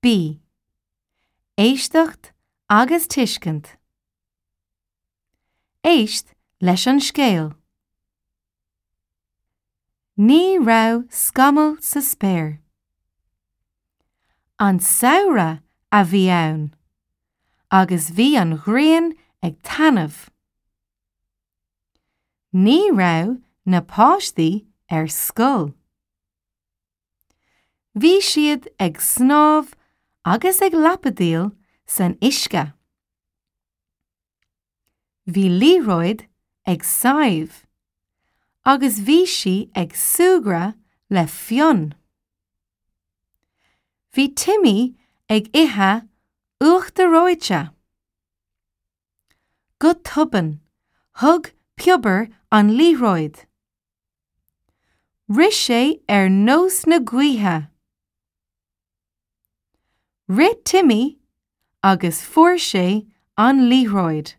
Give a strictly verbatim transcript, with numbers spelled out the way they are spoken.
B. Éisteacht agus tuiscint. Éist leis an scéal. Ní raibh scamall sa spéir. An samhradh a bhí ann, agus bhí an ghrian ag taitneamh. Ní raibh na páistí ar scoil. Bhí siad ag snámh agus ag lapadaíl san uisce. Bhí liathróid ag Sadhbh, agus bhí sí ag súgradh le Fionn. Bhí Timmy ag ithe uachtar reoite. Go tobann, thug Piobar an liathróid. Rith sé ar nós na gaoithe. Rith Timmy agus fuair sé an liathróid.